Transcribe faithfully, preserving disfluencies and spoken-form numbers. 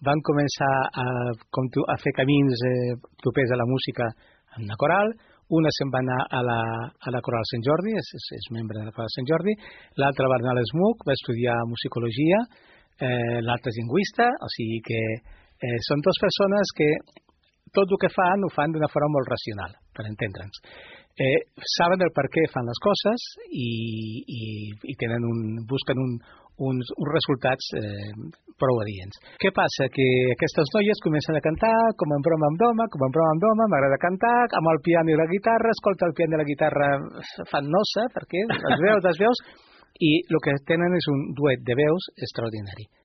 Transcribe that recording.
van començar a, com tu, a fer camins eh, propers a la música en una coral. Una se'n va anar a la, a la Coral Sant Jordi, és, és, és membre de la Coral Sant Jordi, l'altra va anar a l'ESMUC, va estudiar musicologia, eh, l'altra és lingüista, o sigui que eh, són dues persones que tot el que fan ho fan d'una forma molt racional, per entendre'ns. Eh, saben el per què fan les coses i, i, i tenen un, busquen un, uns, uns resultats eh, prou adients. Què passa? Que aquestes noies comencen a cantar com en broma amb doma, com en broma amb doma, m'agrada cantar, amb el piano i la guitarra, escolta el piano i la guitarra fan nosa, perquè les veus, les veus, i el que tenen és un duet de veus extraordinari.